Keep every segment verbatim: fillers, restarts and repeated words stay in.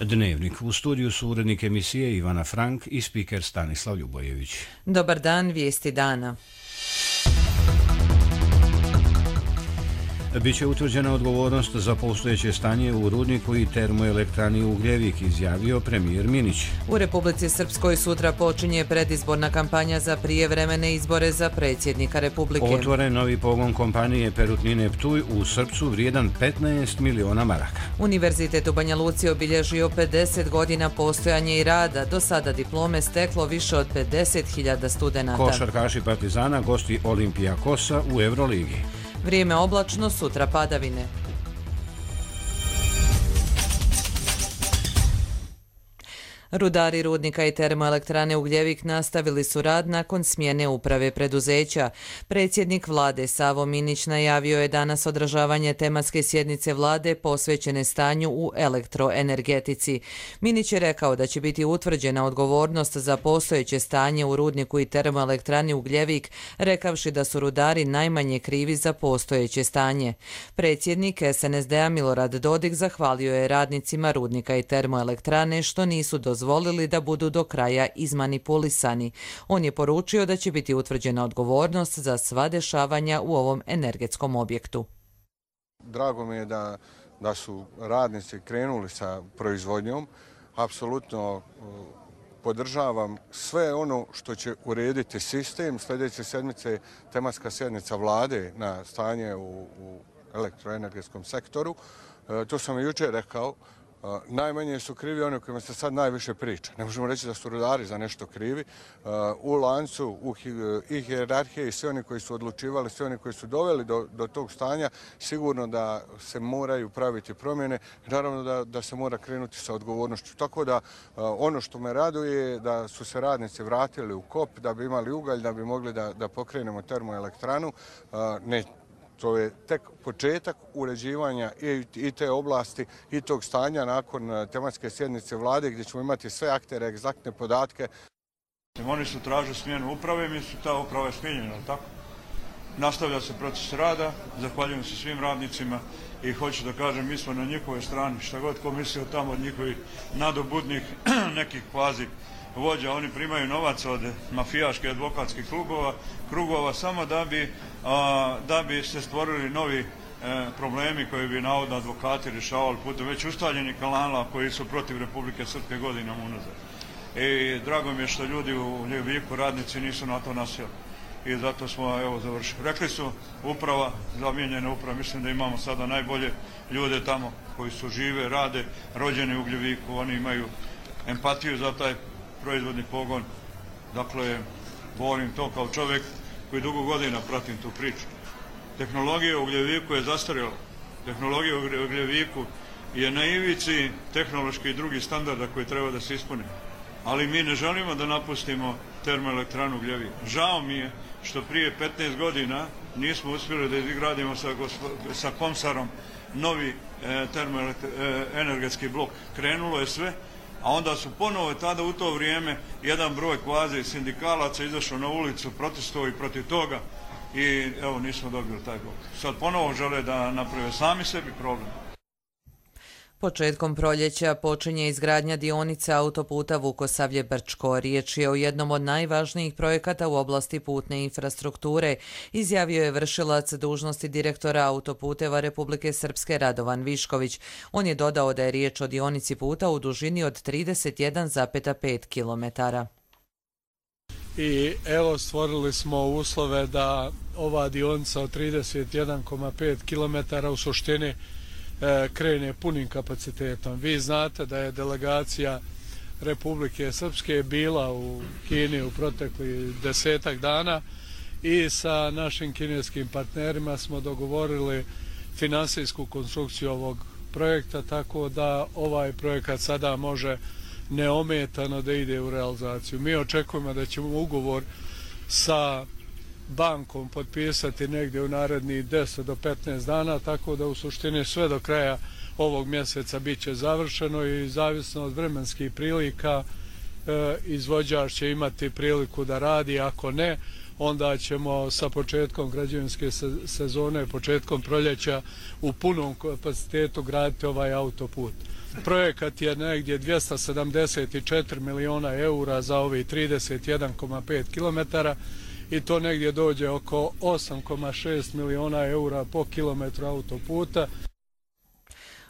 Dnevnik. U studiju su urednik emisije Ivana Frank i spiker Stanislav Ljubojević. Dobar dan, vijesti dana. Biće utvrđena odgovornost za postojeće stanje u rudniku i termoelektrani Ugljevik, izjavio premijer Minić. U Republici Srpskoj sutra počinje predizborna kampanja za prijevremene izbore za predsjednika Republike. Otvoren novi pogon kompanije Perutnine Ptuj u Srpcu vrijedan petnaest miliona maraka. Univerzitet u Banja Luci obilježio pedeset godina postojanja i rada. Do sada diplome steklo više od pedeset hiljada studenata. Košarkaši Partizana gosti Olimpijakosa u Euroligi. Vrijeme oblačno, sutra padavine. Rudari rudnika i termoelektrane Ugljevik nastavili su rad nakon smjene uprave preduzeća. Predsjednik vlade Savo Minić najavio je danas održavanje tematske sjednice vlade posvećene stanju u elektroenergetici. Minić je rekao da će biti utvrđena odgovornost za postojeće stanje u rudniku i termoelektrani Ugljevik, rekavši da su rudari najmanje krivi za postojeće stanje. Predsjednik es en es de a Milorad Dodik zahvalio je radnicima rudnika i termoelektrane što nisu dozvolili dozvolili da budu do kraja izmanipulisani. On je poručio da će biti utvrđena odgovornost za sva dešavanja u ovom energetskom objektu. Drago mi je da, da su radnici krenuli sa proizvodnjom. Apsolutno podržavam sve ono što će urediti sistem. Sljedeće sedmice tematska sjednica vlade na stanje u, u elektroenergetskom sektoru. E, to sam i jučer rekao. Uh, najmanje su krivi oni o kojima se sad najviše priča. Ne možemo reći da su rudari za nešto krivi. Uh, u lancu, u hi, i hijerarhije i svi oni koji su odlučivali, svi oni koji su doveli do, do tog stanja, sigurno da se moraju praviti promjene. Naravno da, da se mora krenuti sa odgovornošću. Tako da uh, ono što me raduje je da su se radnici vratili u kop, da bi imali ugalj, da bi mogli da, da pokrenemo termoelektranu. Uh, ne To je tek početak uređivanja i te oblasti i tog stanja nakon tematske sjednice vlade gdje ćemo imati sve aktere, egzaktne podatke. Oni su tražili smjenu uprave, mi su ta uprava je smijenjena, tako? Nastavlja se proces rada, zahvaljujem se svim radnicima i hoću da kažem, mi smo na njihovoj strani, šta god ko mislio tamo od njihovih nadobudnih nekih kvazi vođa, oni primaju novac od mafijaških advokatskih klubova, krugova samo da bi, a, da bi se stvorili novi e, problemi koji bi navodno advokati rješavali putem već ustaljenih kanala koji su protiv Republike Srpske godinama unazad. I drago mi je što ljudi u Ljubiku, radnici, nisu na to nasjeli. I zato smo evo završili. Rekli su uprava, zamijenjena uprava, mislim da imamo sada najbolje ljude tamo koji su žive, rade, rođeni u Ljubiku, oni imaju empatiju za taj proizvodni pogon. Dakle, volim to kao čovjek koji dugo godina pratim tu priču. Tehnologija u Ugljeviku je zastarjela. Tehnologija u Ugljeviku je na ivici tehnološki i drugih standarda koji treba da se ispune. Ali mi ne želimo da napustimo termoelektranu Ugljevik. Žao mi je što prije petnaest godina nismo uspjeli da izgradimo sa, sa Komsarom novi e, termoenergetski blok. Krenulo je sve, a onda su ponovo tada u to vrijeme jedan broj kvazi sindikalaca izašao na ulicu, protestovali protiv toga i evo nismo dobili taj blok. Sad ponovo žele da naprave sami sebi problem. Početkom proljeća počinje izgradnja dionice autoputa Vukosavlje-Brčko. Riječ je o jednom od najvažnijih projekata u oblasti putne infrastrukture, izjavio je vršilac dužnosti direktora autoputeva Republike Srpske Radovan Višković. On je dodao da je riječ o dionici puta u dužini od trideset jedan zarez pet kilometara. I evo stvorili smo uslove da ova dionica od trideset jedan zarez pet kilometara u suštini krene punim kapacitetom. Vi znate da je delegacija Republike Srpske bila u Kini u proteklih desetak dana i sa našim kineskim partnerima smo dogovorili finansijsku konstrukciju ovog projekta, tako da ovaj projekat sada može neometano da ide u realizaciju. Mi očekujemo da ćemo ugovor sa bankom potpisati negdje u narednih deset do petnaest dana, tako da u suštini sve do kraja ovog mjeseca bit će završeno i zavisno od vremenskih prilika e, izvođač će imati priliku da radi, ako ne, onda ćemo sa početkom građevinske sezone, početkom proljeća u punom kapacitetu graditi ovaj autoput. Projekat je negdje dvjesto sedamdeset četiri miliona eura za ovih trideset jedan zarez pet kilometara i to negdje dođe oko osam zarez šest miliona eura po kilometru autoputa.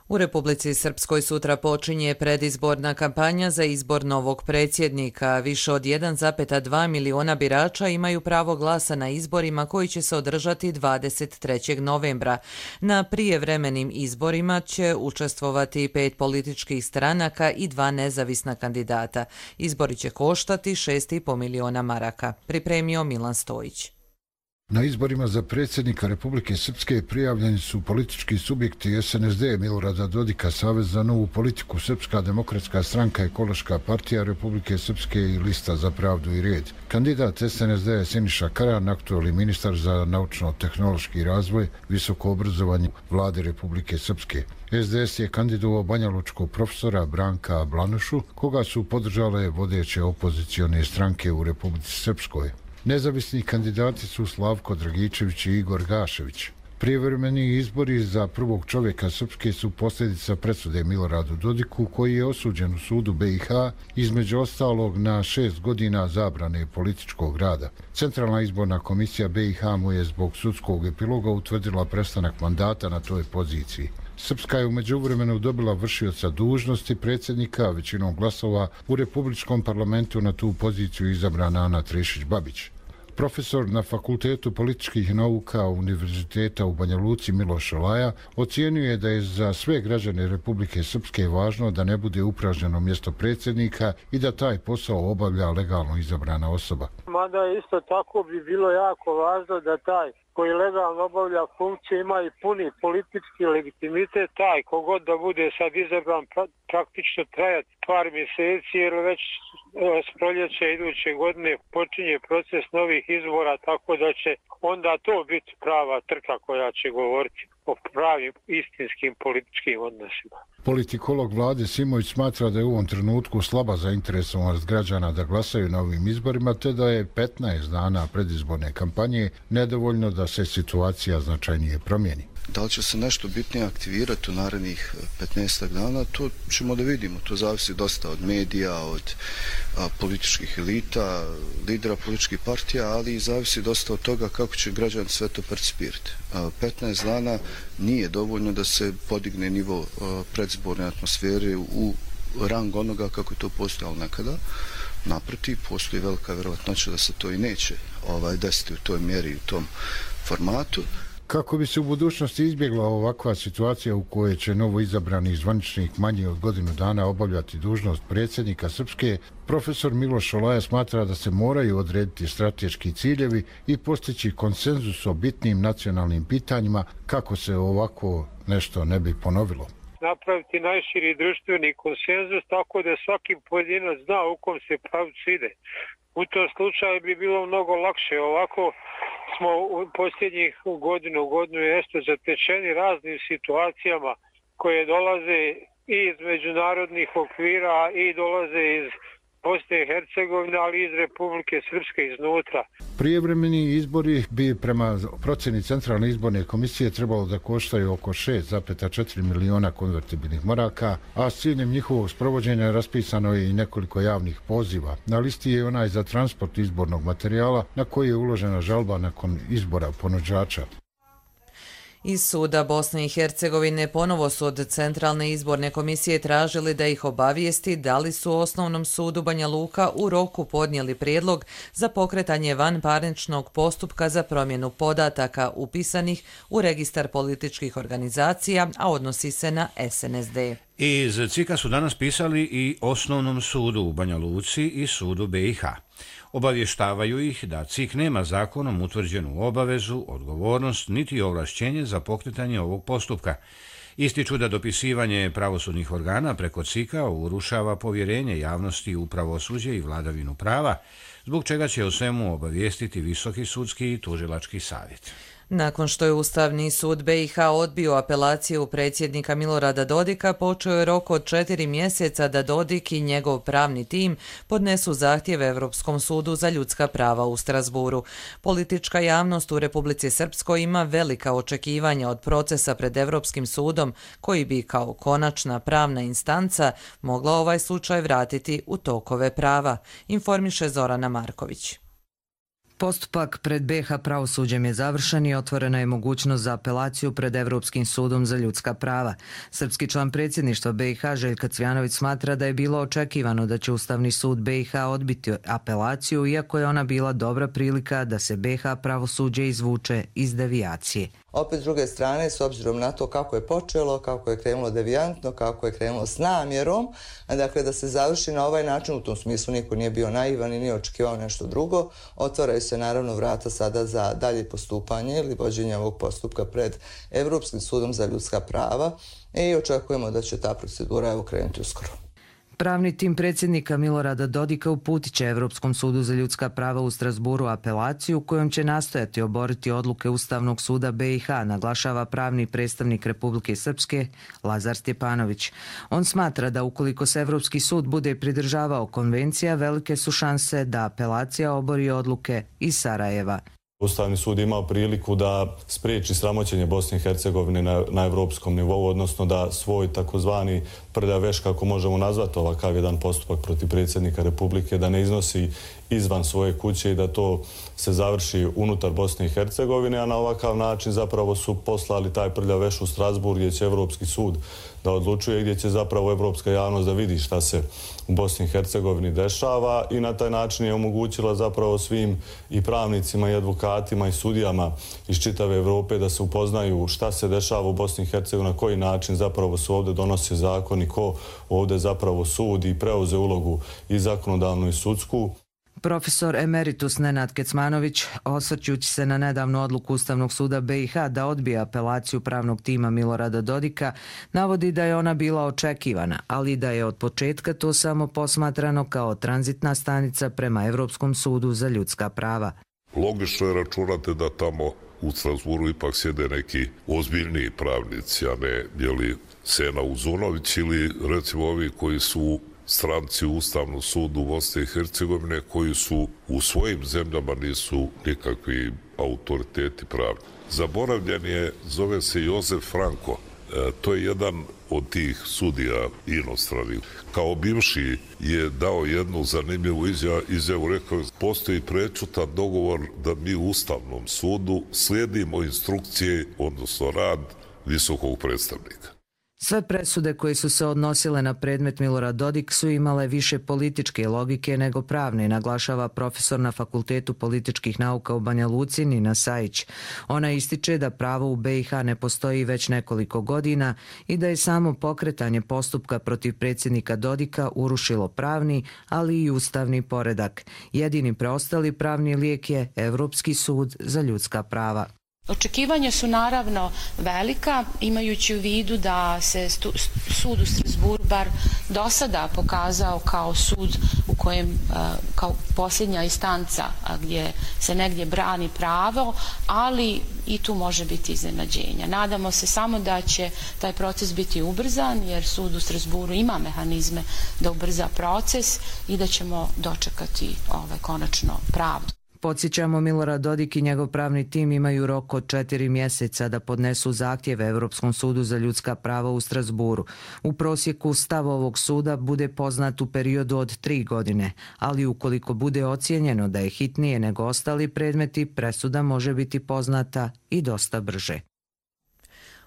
U Republici Srpskoj sutra počinje predizborna kampanja za izbor novog predsjednika. Više od jedan zarez dva miliona birača imaju pravo glasa na izborima koji će se održati dvadeset trećeg novembra. Na prijevremenim izborima će učestvovati pet političkih stranaka i dva nezavisna kandidata. Izbori će koštati šest zarez pet miliona maraka. Pripremio Milan Stojić. Na izborima za predsjednika Republike Srpske prijavljeni su politički subjekti S N S D Milorada Dodika, Savez za novu politiku, Srpska demokratska stranka, Ekološka partija Republike Srpske i Lista za pravdu i red. Kandidat S N S D je Siniša Karan, aktualni ministar za naučno-tehnološki razvoj, visoko obrazovanje vlade Republike Srpske. S D S je kandidovao banjalučkog profesora Branka Blanušu, koga su podržale vodeće opozicione stranke u Republici Srpskoj. Nezavisni kandidati su Slavko Dragičević i Igor Gašević. Prijevremeni izbori za prvog čovjeka Srpske su posljedica presude Miloradu Dodiku, koji je osuđen u sudu B i H između ostalog na šest godina zabrane političkog rada. Centralna izborna komisija B i H mu je zbog sudskog epiloga utvrdila prestanak mandata na toj poziciji. Srpska je u međuvremenu dobila vršioca dužnosti predsjednika, većinom glasova u Republičkom parlamentu na tu poziciju izabrana Ana Trešić-Babić. Profesor na Fakultetu političkih nauka Univerziteta u Banja Luci Miloš Olaja ocijenio je da je za sve građane Republike Srpske važno da ne bude upražnjeno mjesto predsjednika i da taj posao obavlja legalno izabrana osoba. Mada isto tako bi bilo jako važno da taj koji legalno obavlja funkciju ima i puni politički legitimitet, taj kogod da bude sad izabran praktično trajati par mjeseci, jer već s proljeća iduće godine počinje proces novih izbora, tako da će onda to biti prava trka koja će govoriti o pravim istinskim političkim odnosima. Politikolog vlade Simović smatra da je u ovom trenutku slaba zainteresovanost građana da glasaju na ovim izborima, te da je petnaest dana predizborne kampanje nedovoljno da se situacija značajnije promijeni. Da li će se nešto bitnije aktivirati u narednih petnaest dana, to ćemo da vidimo. To zavisi dosta od medija, od a, političkih elita, lidera političkih partija, ali i zavisi dosta od toga kako će građani sve to percipirati. A, petnaest dana nije dovoljno da se podigne nivo a, predzborne atmosfere u rang onoga kako je to postojalo nekada. Naprotiv, postoji velika vjerojatnoća da se to i neće ovaj, desiti u toj mjeri i u tom formatu. Kako bi se u budućnosti izbjegla ovakva situacija u kojoj će novo izabrani zvaničnik manje od godinu dana obavljati dužnost predsjednika Srpske, profesor Miloš Olaja smatra da se moraju odrediti strateški ciljevi i postići konsenzus o bitnim nacionalnim pitanjima kako se ovako nešto ne bi ponovilo. Napraviti najširi društveni konsenzus tako da svaki pojedinac zna u kom se pravcu ide. U tom slučaju bi bilo mnogo lakše. Ovako smo u posljednjih godinu, godinu i nešto zatečeni raznim situacijama koje dolaze i iz međunarodnih okvira i dolaze iz Bosne i Hercegovine, ali i iz Republike Srpske iznutra. Prijevremeni izbori bi prema procjeni Centralne izborne komisije trebalo da koštaju oko šest zarez četiri miliona konvertibilnih maraka, a s ciljem njihovog sprovođenja raspisano je i nekoliko javnih poziva. Na listi je onaj za transport izbornog materijala na koji je uložena žalba nakon izbora ponuđača. Iz suda Bosne i Hercegovine ponovo su od Centralne izborne komisije tražili da ih obavijesti da li su u Osnovnom sudu Banja Luka u roku podnijeli prijedlog za pokretanje vanparničnog postupka za promjenu podataka upisanih u registar političkih organizacija, a odnosi se na S N S D. Iz C I K-a su danas pisali i Osnovnom sudu u Banja Luci i sudu B i H. Obavještavaju ih da C I K nema zakonom utvrđenu obavezu, odgovornost niti ovlašćenje za pokretanje ovog postupka. Ističu da dopisivanje pravosudnih organa preko C I K-a urušava povjerenje javnosti u pravosuđe i vladavinu prava, zbog čega će o svemu obavijestiti Visoki sudski i tužilački savjet. Nakon što je Ustavni sud be i ha odbio apelaciju predsjednika Milorada Dodika, počeo je rok od četiri mjeseca da Dodik i njegov pravni tim podnesu zahtjev Europskom sudu za ljudska prava u Strasburu. Politička javnost u Republici Srpskoj ima velika očekivanja od procesa pred Europskim sudom, koji bi kao konačna pravna instanca mogla ovaj slučaj vratiti u tokove prava, informiše Zorana Marković. Postupak pred be i ha pravosuđem je završen i otvorena je mogućnost za apelaciju pred Evropskim sudom za ljudska prava. Srpski član predsjedništva be i ha Željka Cvjanović smatra da je bilo očekivano da će Ustavni sud be i ha odbiti apelaciju, iako je ona bila dobra prilika da se be i ha pravosuđe izvuče iz devijacije. Opet s druge strane, s obzirom na to kako je počelo, kako je krenulo devijantno, kako je krenulo s namjerom, dakle da se završi na ovaj način, u tom smislu niko nije bio naivan i nije očekivao nešto drugo, otvaraju se naravno vrata sada za dalje postupanje ili vođenje ovog postupka pred Evropskim sudom za ljudska prava i očekujemo da će ta procedura evo krenuti uskoro. Pravni tim predsjednika Milorada Dodika uputit će Evropskom sudu za ljudska prava u Strasburu apelaciju kojom će nastojati oboriti odluke Ustavnog suda be i ha, naglašava pravni predstavnik Republike Srpske Lazar Stjepanović. On smatra da ukoliko se Evropski sud bude pridržavao konvencija, velike su šanse da apelacija obori odluke iz Sarajeva. Ustavni sud imao priliku da spriječi sramoćenje Bosne i Hercegovine na, na evropskom nivou, odnosno da svoj takozvani prljav veš, kako možemo nazvati ovakav jedan postupak protiv predsjednika Republike, da ne iznosi izvan svoje kuće i da to se završi unutar Bosne i Hercegovine, a na ovakav način zapravo su poslali taj prljav veš u Strasburg gdje će Evropski sud da odlučuje, gdje će zapravo evropska javnost da vidi šta se u Bosni i Hercegovini dešava i na taj način je omogućila zapravo svim i pravnicima i advokatima i sudijama iz čitave Evrope da se upoznaju šta se dešava u Bosni i Hercegovini, na koji način zapravo se ovdje donose zakoni, ko ovdje zapravo sudi i preuze ulogu i zakonodavnu i sudsku. Profesor emeritus Nenad Kecmanović, osvrćući se na nedavnu odluku Ustavnog suda be i ha da odbije apelaciju pravnog tima Milorada Dodika, navodi da je ona bila očekivana, ali da je od početka to samo posmatrano kao tranzitna stanica prema Evropskom sudu za ljudska prava. Logično je računate da tamo u Strasburu ipak sjede neki ozbiljniji pravnici, a ne jeli Sena Uzunović ili recimo ovi koji su stranci u Ustavnom sudu Bosne i Hercegovine, koji su u svojim zemljama nisu nikakvi autoriteti pravni. Zaboravljen je, zove se Jozef Franko. E, to je jedan od tih sudija inostranih. Kao bivši je dao jednu zanimljivu izjavu, izjavu rekao je postoji prečutan dogovor da mi u Ustavnom sudu slijedimo instrukcije, odnosno rad visokog predstavnika. Sve presude koje su se odnosile na predmet Milorad Dodik su imale više političke logike nego pravne, naglašava profesor na Fakultetu političkih nauka u Banja Luci Nina Sajić. Ona ističe da pravo u be i ha ne postoji već nekoliko godina i da je samo pokretanje postupka protiv predsjednika Dodika urušilo pravni, ali i ustavni poredak. Jedini preostali pravni lijek je Evropski sud za ljudska prava. Očekivanja su naravno velika, imajući u vidu da se sud u Strasburu bar do sada pokazao kao sud u kojem, kao posljednja instanca gdje se negdje brani pravo, ali i tu može biti iznenađenja. Nadamo se samo da će taj proces biti ubrzan, jer sud u Strasburu ima mehanizme da ubrza proces i da ćemo dočekati ovaj, konačno pravdu. Podsjećamo, Milorad Dodik i njegov pravni tim imaju rok od četiri mjeseca da podnesu zahtjeve Evropskom sudu za ljudska prava u Strasburu. U prosjeku stav ovog suda bude poznat u periodu od tri godine, ali ukoliko bude ocijenjeno da je hitnije nego ostali predmeti, presuda može biti poznata i dosta brže.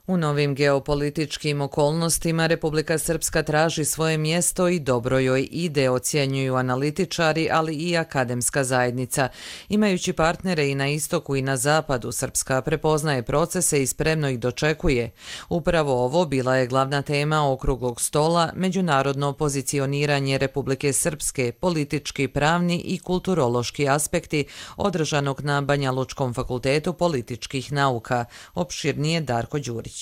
U novim geopolitičkim okolnostima Republika Srpska traži svoje mjesto i dobro joj ide, ocjenjuju analitičari, ali i akademska zajednica. Imajući partnere i na istoku i na zapadu, Srpska prepoznaje procese i spremno ih dočekuje. Upravo ovo bila je glavna tema okruglog stola, međunarodno pozicioniranje Republike Srpske, politički, pravni i kulturološki aspekti, održanog na Banja Lučkom fakultetu političkih nauka. Opširnije Darko Đurić.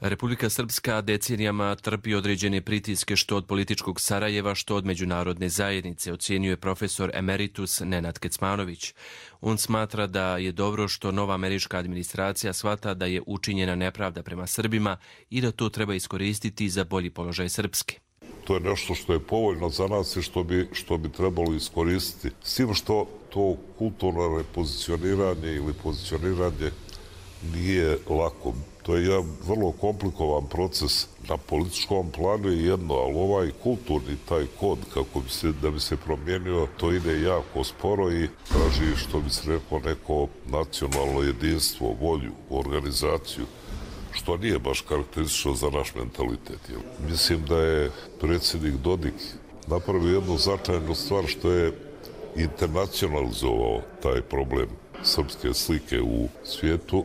Republika Srpska decenijama trpi određene pritiske što od političkog Sarajeva, što od međunarodne zajednice, ocjenjuje profesor emeritus Nenad Kecmanović. On smatra da je dobro što nova američka administracija shvata da je učinjena nepravda prema Srbima i da to treba iskoristiti za bolji položaj Srpske. To je nešto što je povoljno za nas i što bi, što bi trebalo iskoristiti. S tim što to kulturno repozicioniranje ili pozicioniranje nije lako. To je jedan vrlo komplikovan proces na političkom planu i jedno, ali ovaj kulturni taj kod, kako bi se, da bi se promijenio, to ide jako sporo i traži, što bi se rekao, neko nacionalno jedinstvo, volju, organizaciju, što nije baš karakteristično za naš mentalitet. Mislim da je predsjednik Dodik napravio jednu značajnu stvar što je internacionalizovao taj problem srpske slike u svijetu.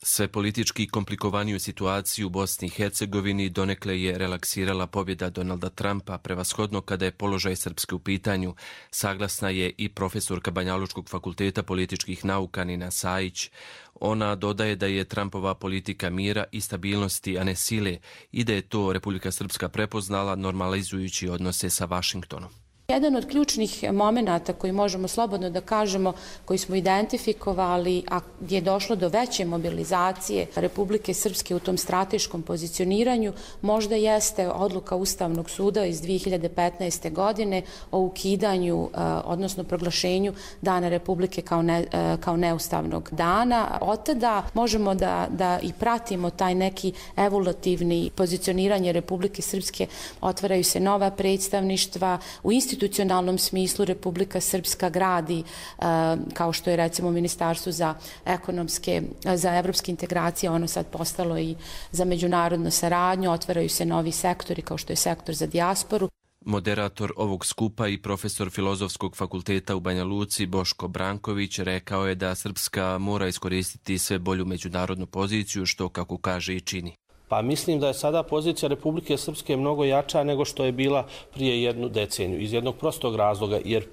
Sve politički komplikovaniju situaciju u Bosni i Hercegovini donekle je relaksirala pobjeda Donalda Trumpa, prevashodno kada je položaj Srpske u pitanju. Saglasna je i profesorka Banjalučkog fakulteta političkih nauka Nina Sajić. Ona dodaje da je Trumpova politika mira i stabilnosti, a ne sile, i da je to Republika Srpska prepoznala normalizujući odnose sa Vašingtonom. Jedan od ključnih momenata koji možemo slobodno da kažemo, koji smo identifikovali, a gdje je došlo do veće mobilizacije Republike Srpske u tom strateškom pozicioniranju, možda jeste odluka Ustavnog suda iz dvije hiljade petnaeste. godine o ukidanju, odnosno proglašenju Dana Republike kao, ne, kao neustavnog dana. Od tada možemo da, da i pratimo taj neki evolutivni pozicioniranje Republike Srpske. Otvaraju se nova predstavništva u institucionalnom U institucionalnom smislu Republika Srpska gradi, kao što je recimo Ministarstvo za ekonomske, za evropske integracije, ono sad postalo i za međunarodnu saradnju, otvaraju se novi sektori kao što je sektor za dijasporu. Moderator ovog skupa i profesor Filozofskog fakulteta u Banja Luci Boško Branković rekao je da Srpska mora iskoristiti sve bolju međunarodnu poziciju, što, kako kaže, i čini. Pa mislim da je sada pozicija Republike Srpske mnogo jača nego što je bila prije jednu deceniju. Iz jednog prostog razloga, jer e,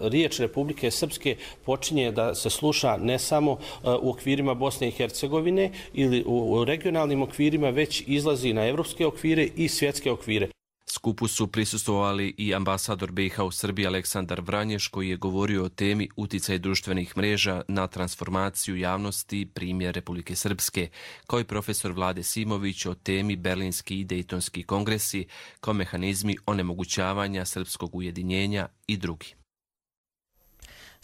riječ Republike Srpske počinje da se sluša ne samo e, u okvirima Bosne i Hercegovine ili u, u regionalnim okvirima, već izlazi na evropske okvire i svjetske okvire. Skupu su prisustvovali i ambasador B i H u Srbiji Aleksandar Vranješ, koji je govorio o temi uticaj društvenih mreža na transformaciju javnosti, primjer Republike Srpske, kao i profesor Vlade Simović o temi Berlinski i Dejtonski kongresi kao mehanizmi onemogućavanja srpskog ujedinjenja i drugi.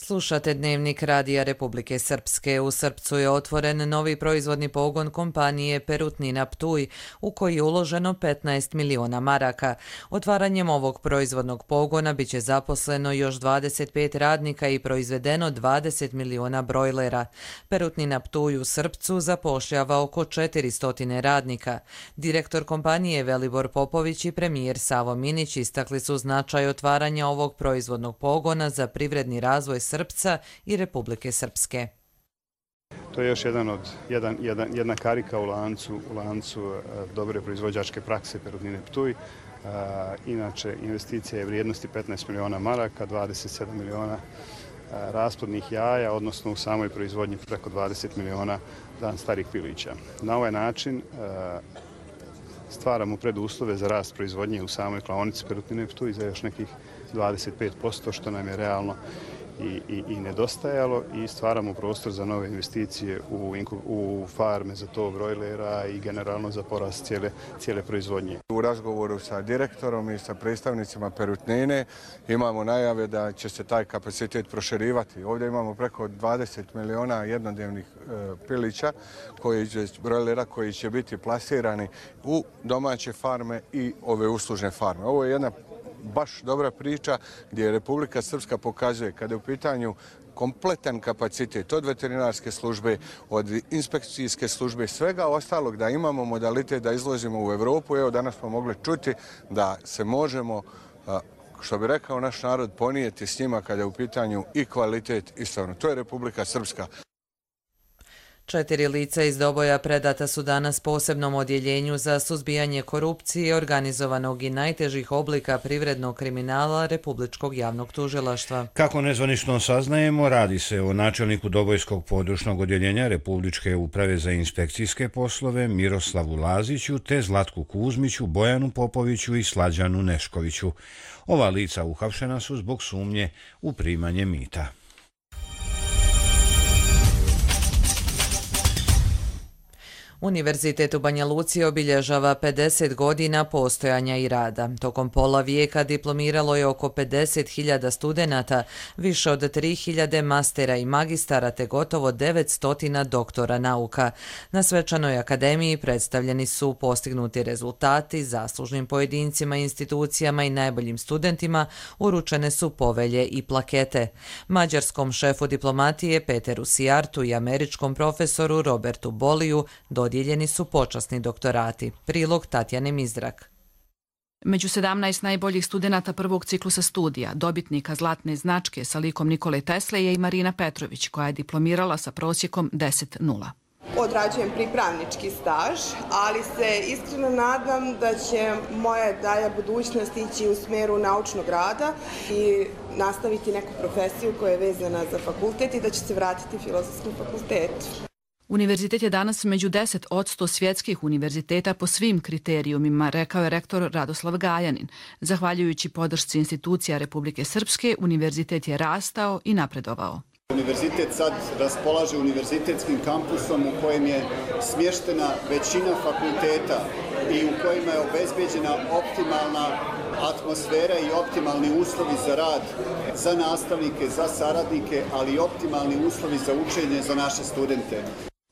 Slušate Dnevnik Radija Republike Srpske. U Srpcu je otvoren novi proizvodni pogon kompanije Perutnina Ptuj, u koji je uloženo petnaest miliona maraka. Otvaranjem ovog proizvodnog pogona biće zaposleno još dvadeset pet radnika i proizvedeno dvadeset miliona brojlera. Perutnina Ptuj u Srpcu zapošljava oko četiristo radnika. Direktor kompanije Velibor Popović i premijer Savo Minić istakli su značaj otvaranja ovog proizvodnog pogona za privredni razvoj Srpca i Republike Srpske. To je još jedan od, jedan, jedan, jedna karika u lancu, u lancu uh, dobre proizvođačke prakse Perutnine Ptuj. Uh, inače, investicija je vrijednosti petnaest miliona maraka, dvadeset sedam miliona uh, rasplodnih jaja, odnosno u samoj proizvodnji preko dvadeset miliona dan starih pilića. Na ovaj način uh, stvaramo preduslove za rast proizvodnje u samoj klaonici Perutnine Ptuj za još nekih dvadeset pet posto, što nam je realno I, i, i nedostajalo, i stvaramo prostor za nove investicije u, u farme za to brojlera i generalno za porast cijele, cijele proizvodnje. U razgovoru sa direktorom i sa predstavnicima Perutnine imamo najave da će se taj kapacitet proširivati. Ovdje imamo preko dvadeset miliona jednodnevnih e, pilića, koji će, brojlera koji će biti plasirani u domaće farme i ove uslužne farme. Ovo je jedna baš dobra priča gdje Republika Srpska pokazuje kada je u pitanju kompletan kapacitet od veterinarske službe, od inspekcijske službe, svega ostalog, da imamo modalitet da izlazimo u Evropu. Evo, danas smo mogli čuti da se možemo, što bi rekao naš narod, ponijeti s njima kada je u pitanju i kvalitet i stvarno. To je Republika Srpska. Četiri lica iz Doboja predata su danas posebnom odjeljenju za suzbijanje korupcije, organizovanog i najtežih oblika privrednog kriminala Republičkog javnog tužilaštva. Kako nezvanično saznajemo, radi se o načelniku Dobojskog područnog odjeljenja Republičke uprave za inspekcijske poslove Miroslavu Laziću te Zlatku Kuzmiću, Bojanu Popoviću i Slađanu Neškoviću. Ova lica uhapšena su zbog sumnje u primanje mita. Univerzitet u Banja Luci obilježava pedeset godina postojanja i rada. Tokom pola vijeka diplomiralo je oko pedeset hiljada studenata, više od tri hiljade mastera i magistara te gotovo devetsto doktora nauka. Na svečanoj akademiji predstavljeni su postignuti rezultati, zaslužnim pojedincima, institucijama i najboljim studentima uručene su povelje i plakete. Mađarskom šefu diplomatije Peteru Sijartu i američkom profesoru Robertu Boliju dodijeljeni su počasni doktorati. Prilog Tatjane Mizrak. Među sedamnaest najboljih studenata prvog ciklusa studija, dobitnika zlatne značke sa likom Nikole Tesle je i Marina Petrović, koja je diplomirala sa prosjekom deset nula. Odrađujem pripravnički staž, ali se iskreno nadam da će moja dalja budućnost ići u smjeru naučnog rada i nastaviti neku profesiju koja je vezana za fakultet i da će se vratiti Filozofskom fakultetu. Univerzitet je danas među deset odsto svjetskih univerziteta po svim kriterijumima, rekao je rektor Radoslav Gajanin. Zahvaljujući podršci institucija Republike Srpske, univerzitet je rastao i napredovao. Univerzitet sad raspolaže univerzitetskim kampusom u kojem je smještena većina fakulteta i u kojima je obezbeđena optimalna atmosfera i optimalni uslovi za rad za nastavnike, za saradnike, ali i optimalni uslovi za učenje za naše studente.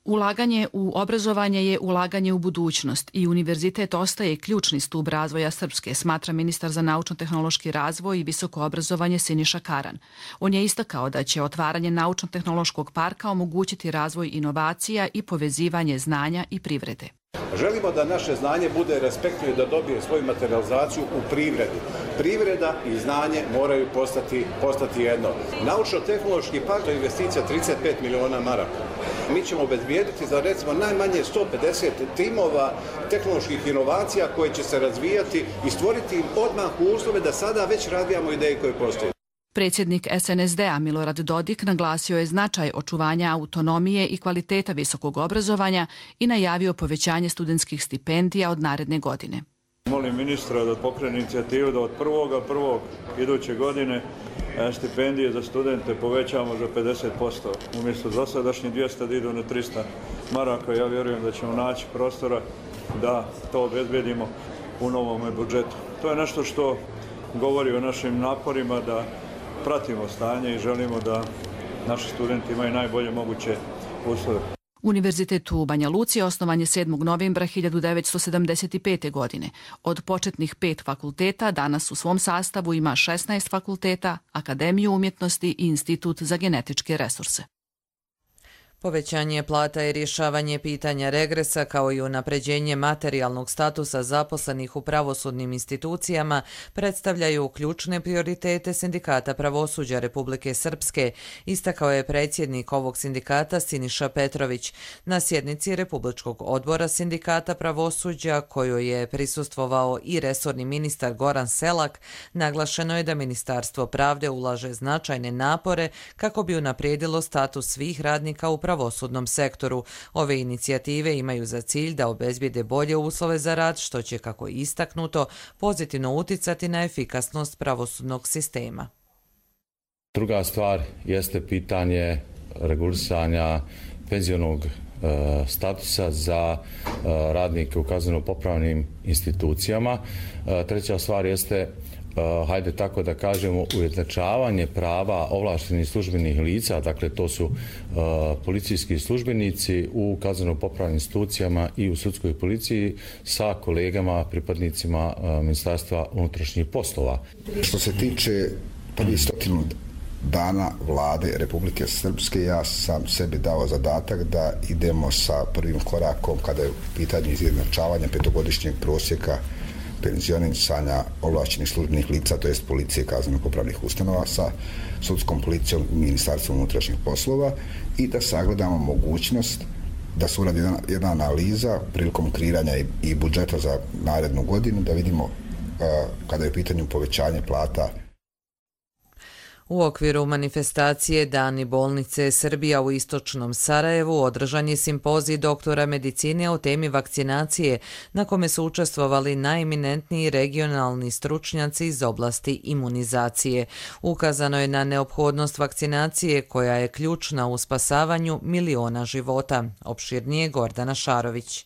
Ulaganje u obrazovanje je ulaganje u budućnost i univerzitet ostaje ključni stub razvoja Srpske, smatra ministar za naučno-tehnološki razvoj i visoko obrazovanje Siniša Karan. On je istakao da će otvaranje naučno-tehnološkog parka omogućiti razvoj inovacija i povezivanje znanja i privrede. Želimo da naše znanje bude respektno i da dobije svoju materializaciju u privredi. Privreda i znanje moraju postati, postati jedno. Naučno-tehnološki park je investicija trideset pet miliona maraka. Mi ćemo obezbijediti za recimo najmanje sto pedeset timova tehnoloških inovacija koje će se razvijati i stvoriti im odmah uslove da sada već razvijamo ideje koje postoje. Predsjednik S N S D-a Milorad Dodik naglasio je značaj očuvanja autonomije i kvaliteta visokog obrazovanja i najavio povećanje studentskih stipendija od naredne godine. Molim ministra da pokrene inicijativu da od prvog prvog iduće godine stipendije za studente povećamo za pedeset posto. Umjesto dosadašnjih dvjesto da idu na trista maraka. Ja vjerujem da ćemo naći prostora da to obezbedimo u novom budžetu. To je nešto što govori o našim naporima da pratimo stanje i želimo da naši studenti imaju najbolje moguće uslove. Univerzitet u Banja Luci osnovan je sedmog novembra hiljadu devetsto sedamdeset pete. godine. Od početnih pet fakulteta danas u svom sastavu ima šesnaest fakulteta, Akademiju umjetnosti i Institut za genetičke resurse. Povećanje plata i rješavanje pitanja regresa kao i unapređenje materijalnog statusa zaposlenih u pravosudnim institucijama predstavljaju ključne prioritete Sindikata pravosuđa Republike Srpske, istakao je predsjednik ovog sindikata Siniša Petrović. Na sjednici Republičkog odbora Sindikata pravosuđa, kojoj je prisustvovao i resorni ministar Goran Selak, naglašeno je da Ministarstvo pravde ulaže značajne napore kako bi unaprijedilo status svih radnika u pravosudnom sektoru. Ove inicijative imaju za cilj da obezbijede bolje uslove za rad, što će, kako je istaknuto, pozitivno uticati na efikasnost pravosudnog sistema. Druga stvar jeste pitanje regulisanja penzionog statusa za radnike u kazneno-popravnim institucijama. Treća stvar jeste, hajde tako da kažemo, ujednačavanje prava ovlaštenih službenih lica, dakle to su policijski službenici u kazneno-popravnim institucijama i u sudskoj policiji sa kolegama, pripadnicima Ministarstva unutrašnjih poslova. Što se tiče prvih stotinu dana vlade Republike Srpske, ja sam sebi dao zadatak da idemo sa prvim korakom kada je u pitanju izjednačavanja petogodišnjeg prosjeka penzionisanja ovlašćenih službenih lica, to jest policije i kazneno-popravnih ustanova sa sudskom policijom i Ministarstvom unutrašnjih poslova i da sagledamo mogućnost da se uradi jedna, jedna analiza prilikom kreiranja i, i budžeta za narednu godinu, da vidimo uh, kada je u pitanju povećanje plata. U okviru manifestacije Dani bolnice Srbija u istočnom Sarajevu održan je simpozij doktora medicine o temi vakcinacije, na kome su učestvovali najeminentniji regionalni stručnjaci iz oblasti imunizacije. Ukazano je na neophodnost vakcinacije koja je ključna u spasavanju miliona života. Opširnije Gordana Šarović.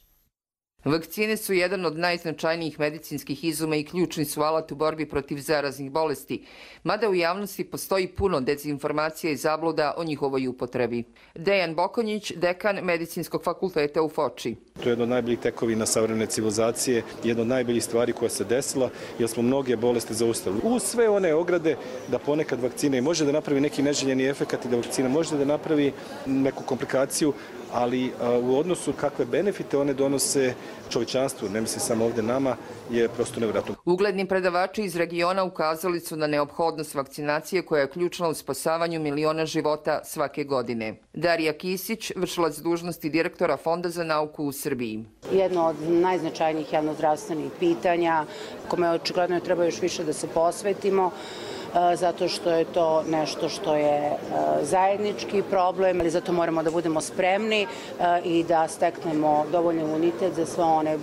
Vakcine su jedan od najznačajnijih medicinskih izuma i ključni su alat u borbi protiv zaraznih bolesti, mada u javnosti postoji puno dezinformacija i zabluda o njihovoj upotrebi. Dejan Bokonjić, dekan Medicinskog fakulteta u Foči. To je jedno od najboljih tekovina savremene civilizacije, jedna od najboljih stvari koja se desila, jer smo mnoge bolesti zaustavili. Uz sve one ograde da ponekad vakcina i može da napravi neki neželjeni efekat i da vakcina može da napravi neku komplikaciju, ali a, u odnosu kakve benefite one donose čovječanstvu, ne mislim samo ovdje nama, je prosto nevjerojatno. Ugledni predavači iz regiona ukazali su na neophodnost vakcinacije koja je ključna u spasavanju miliona života svake godine. Darija Kisić, vršilac dužnosti direktora Fonda za nauku u Srbiji. Jedno od najznačajnijih javnozdravstvenih pitanja, kome očigledno treba još više da se posvetimo, zato što je to nešto što je zajednički problem, ali zato moramo da budemo spremni i da steknemo dovoljno imunitet za sve one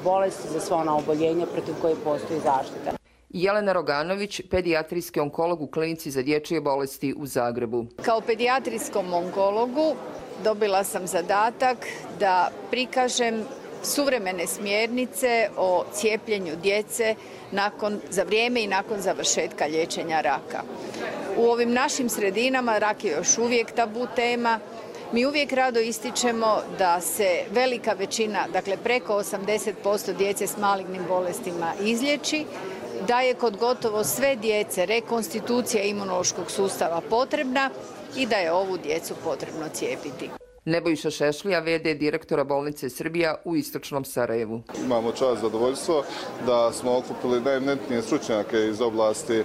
bolesti, za sve ona oboljenja protiv koje postoji zaštita. Jelena Roganović, pedijatrijski onkolog u klinici za dječje bolesti u Zagrebu. Kao pedijatrijskom onkologu dobila sam zadatak da prikažem suvremene smjernice o cijepljenju djece nakon, za vrijeme i nakon završetka liječenja raka. U ovim našim sredinama rak je još uvijek tabu tema. Mi uvijek rado ističemo da se velika većina, dakle preko osamdeset posto djece s malignim bolestima izliječi, da je kod gotovo sve djece rekonstitucija imunološkog sustava potrebna i da je ovu djecu potrebno cijepiti. Nebojša Šešlija, ve de direktora bolnice Srbija u istočnom Sarajevu. Imamo čast zadovoljstvo da smo okupili najeminentnije stručnjake iz oblasti e,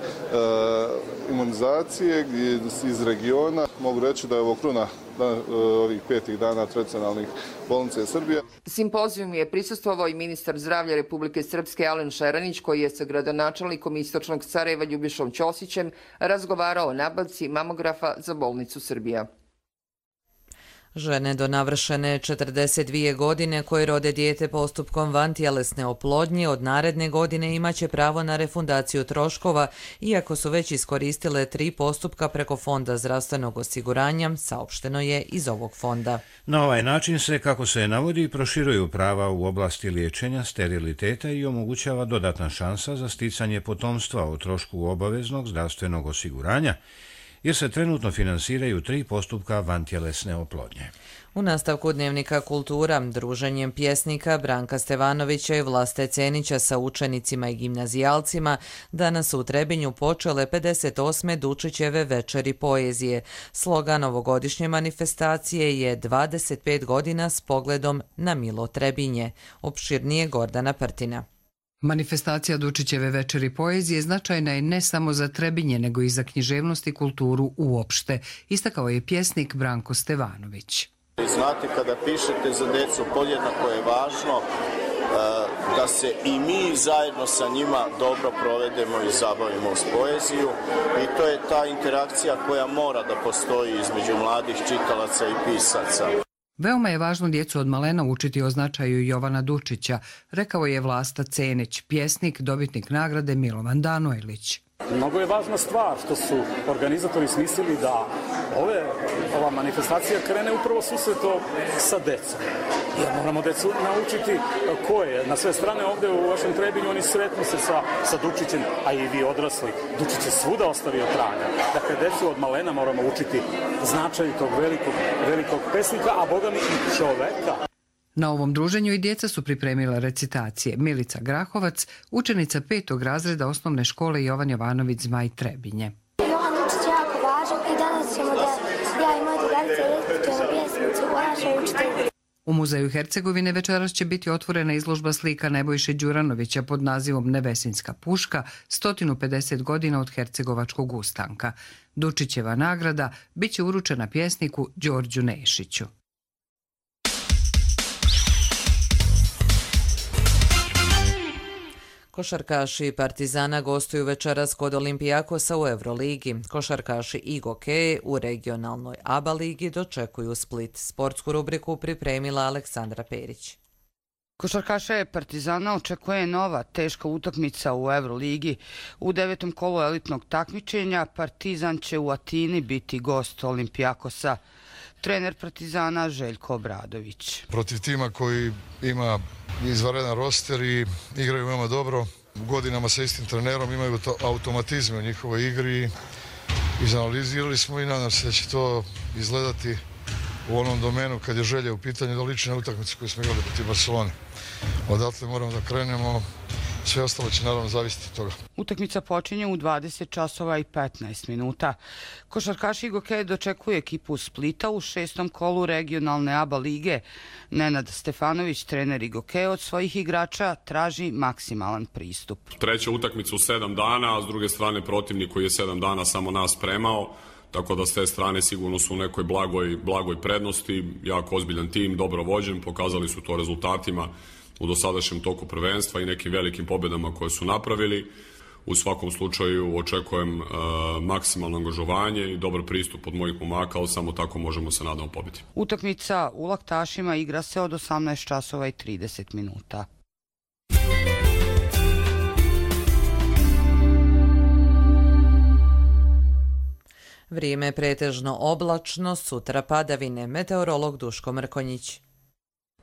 imunizacije iz regiona. Mogu reći da je ovo kruna ovih petih dana tradicionalnih bolnice Srbije. Simpozijum je prisustvovao i ministar zdravlja Republike Srpske Alen Šeranić, koji je sa gradonačelnikom istočnog Sarajeva Ljubišom Ćosićem razgovarao o nabavci mamografa za bolnicu Srbija. Žene do navršene četrdeset dvije godine koje rode dijete postupkom vantjelesne oplodnje od naredne godine imaće pravo na refundaciju troškova, iako su već iskoristile tri postupka preko Fonda zdravstvenog osiguranja, saopšteno je iz ovog fonda. Na ovaj način se, kako se navodi, proširuju prava u oblasti liječenja, steriliteta i omogućava dodatna šansa za sticanje potomstva o trošku obaveznog zdravstvenog osiguranja, jer se trenutno finansiraju tri postupka vantjelesne oplodnje. U nastavku Dnevnika kultura, druženjem pjesnika Branka Stevanovića i Vlaste Cenića sa učenicima i gimnazijalcima, danas u Trebinju počele pedeset osme Dučićeve večeri poezije. Slogan ovogodišnje manifestacije je dvadeset pet godina s pogledom na Milo Trebinje. Opširnije Gordana Prtina. Manifestacija Dučićeve večeri poezije značajna je ne samo za Trebinje, nego i za književnost i kulturu uopšte, istakao je pjesnik Branko Stevanović. Znate, kada pišete za decu, podjednako je važno da se i mi zajedno sa njima dobro provedemo i zabavimo s poeziju, i to je ta interakcija koja mora da postoji između mladih čitalaca i pisaca. Veoma je važno djecu od malena učiti o značaju Jovana Dučića, rekao je Vlasta Cenić, pjesnik, dobitnik nagrade Milovan Danojlić. Mnogo je važna stvar što su organizatori smislili da ove, ova manifestacija krene upravo susretom sa decom. Jer moramo decu naučiti ko je. Na sve strane ovdje u vašem Trebinju oni sretnu se sa, sa Dučićem, a i vi odrasli. Dučić je svuda ostavio traga. Dakle, decu od malena moramo učiti značaju tog velikog, velikog pesnika, a boga mi i čoveka. Na ovom druženju i djeca su pripremila recitacije. Milica Grahovac, učenica petog razreda osnovne škole Jovan Jovanović Zmaj Trebinje. Jovan Dučić je jako važan i danas ćemo da ja i moje drugarice recitujemo pjesmicu o našoj učiteljici. U Muzeju Hercegovine večeras će biti otvorena izložba slika Nebojše Đuranovića pod nazivom Nevesinska puška, sto pedeset godina od hercegovačkog ustanka. Dučićeva nagrada bit će uručena pjesniku Đorđu Nešiću. Košarkaši Partizana gostuju večeras kod Olimpijakosa u Euroligi. Košarkaši Igoke u regionalnoj A B A ligi dočekuju Split. Sportsku rubriku pripremila Aleksandra Perić. Košarkaše Partizana očekuje nova teška utakmica u Euroligi. U devetom kolu elitnog takmičenja Partizan će u Atini biti gost Olimpijakosa. Trener Partizana Željko Obradović. Protiv tima koji ima izvanredan roster i igraju veoma dobro, u godinama sa istim trenerom imaju automatizme u njihovoj igri. Izanalizirali smo i nadam se da će to izgledati u onom domenu kad je želja u pitanju da liči na utakmicu koju smo igrali protiv Barcelone. Odatle moramo da krenemo, sve ostalo će naravno zavisiti od toga. Utakmica počinje u dvadeset časova i petnaest minuta. Košarkaši Igoke dočekuje ekipu Splita u šestom kolu regionalne A B A lige. Nenad Stefanović, trener Igoke, od svojih igrača traži maksimalan pristup. Treća utakmica u sedam dana, a s druge strane protivnik koji je sedam dana samo nas spremao. Tako da s te strane sigurno su u nekoj blagoj, blagoj prednosti, jako ozbiljan tim, dobro vođen, pokazali su to rezultatima u dosadašnjem toku prvenstva i nekim velikim pobjedama koje su napravili. U svakom slučaju očekujem e, maksimalno angažovanje i dobar pristup od mojih momaka, ali samo tako možemo se nadamo pobiti. Utakmica u Laktašima igra se od osamnaest časova i trideset minuta. Vrijeme je pretežno oblačno, sutra padavine. Meteorolog Duško Mrkonjić.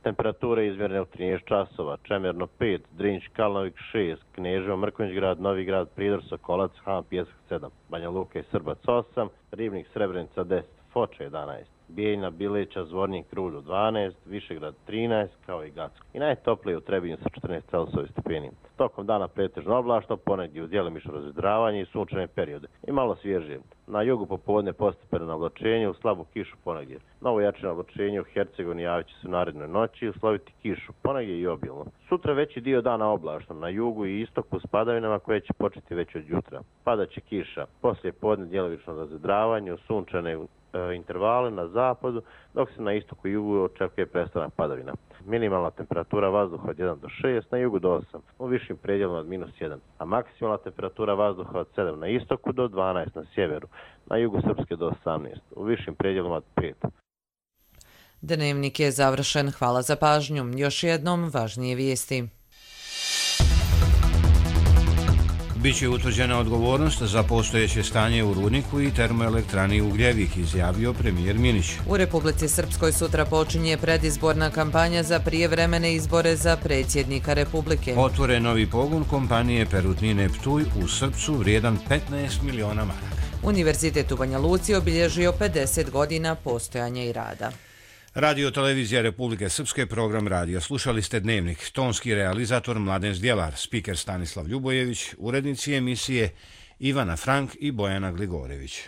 Temperature izmjerne u trinaest časova, Čemerno pet, Drinć, Kalnovik šest, Kneževo, Mrkonjić grad, Novi grad, Pridor, Sokolac, Han, Pjesak sedam, Banja Luka i Srbac osam, Ribnik, Srebrenica deset, Foča jedanaest, Bijeljina, Bileća, Zvornik, Krulju dvanaest, Višegrad trinaest, kao i Gacko. I najtoplije u Trebinju sa četrnaest Celsijevi stepeni. Tokom dana pretežno oblačno, ponegdje uz djelomično razvedravanje i sunčane periode. I malo svježije. Na jugu popodne postepeno na oblačenje, u slabu kišu ponegdje. Novo jačino oblačenje u Hercegovini javit će se u narednoj noći, usloviti kišu ponegdje i obilno. Sutra veći dio dana oblačno, na jugu i istoku s padavinama koje će početi već od jutra. Padaće kiša, poslije podne djelomično razvedravanje, u sunčane intervale na zapadu, dok se na istoku i jugu očekuje prestanak padavina. Minimalna temperatura vazduha od jedan do šest, na jugu do osam, u višim predjelima od minus jedan, a maksimalna temperatura vazduha od sedam na istoku do dvanaest na sjeveru, na jugu Srpske do osamnaest, u višim predjelima od pet. Dnevnik je završen. Hvala za pažnju. Još jednom važnije vijesti. Biće utvrđena odgovornost za postojeće stanje u rudniku i termoelektrani Ugljevik, izjavio premijer Minić. U Republici Srpskoj sutra počinje predizborna kampanja za prijevremene izbore za predsjednika Republike. Otvore novi pogon kompanije Perutnine Ptuj u Srpcu vrijedan petnaest miliona maraka. Univerzitet u Banja Luci obilježio pedeset godina postojanja i rada. Radio Televizija Republike Srpske, program radija. Slušali ste Dnevnik. Tonski realizator Mladen Zdjelar, spiker Stanislav Ljubojević, urednici emisije Ivana Frank i Bojana Gligorević.